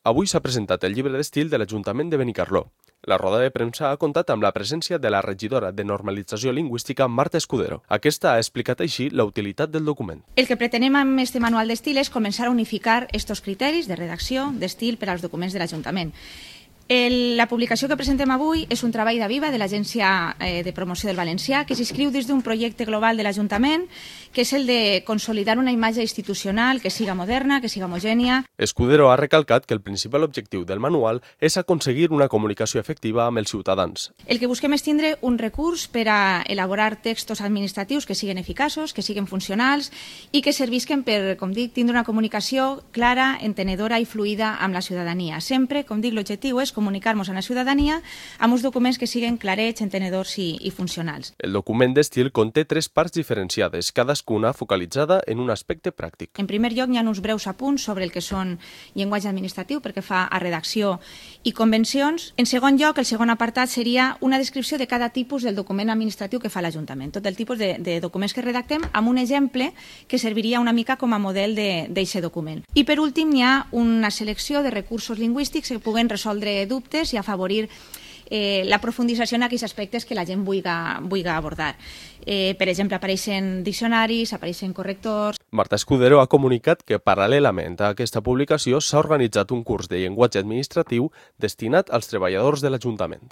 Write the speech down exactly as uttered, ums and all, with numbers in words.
Avui s'ha presentat el llibre d'estil de l'Ajuntament de Benicarló. La roda de premsa ha comptat amb la presència de la regidora de Normalització Lingüística, Marta Escudero. Aquesta ha explicat així la utilitat del document. El que pretenem amb este manual d'estil és començar a unificar estos criteris de redacció d'estil per als documents de l'Ajuntament. El, la publicació que presentem avui és un treball d'Aviva de l'Agència eh, de Promoció del Valencià que s'inscriu dins d'un projecte global de l'Ajuntament que és el de consolidar una imatge institucional que siga moderna, que siga homogènia. Escudero ha recalcat que el principal objectiu del manual és aconseguir una comunicació efectiva amb els ciutadans. El que busquem és tindre un recurs per a elaborar textos administratius que siguin eficaços, que siguin funcionals i que servisquen per, com dic, tindre una comunicació clara, entenedora i fluida amb la ciutadania. Sempre, com dic, l'objectiu és comunicar-nos a la ciutadania amb uns documents que siguin clarets, entenedors i, i funcionals. El document d'estil conté tres parts diferenciades, cadascuna focalitzada en un aspecte pràctic. En primer lloc, hi ha uns breus apunts sobre el que són llenguatge administratiu, perquè fa a redacció i convencions. En segon lloc, el segon apartat seria una descripció de cada tipus del document administratiu que fa l'Ajuntament, tot el tipus de, de documents que redactem, amb un exemple que serviria una mica com a model d'aquest document. I per últim, hi ha una selecció de recursos lingüístics que puguen resoldre dubtes i afavorir eh, la profundització en aquells aspectes que la gent vulgui, vulgui abordar. Eh, per exemple, apareixen diccionaris, apareixen correctors. Marta Escudero ha comunicat que paral·lelament a aquesta publicació s'ha organitzat un curs de llenguatge administratiu destinat als treballadors de l'Ajuntament.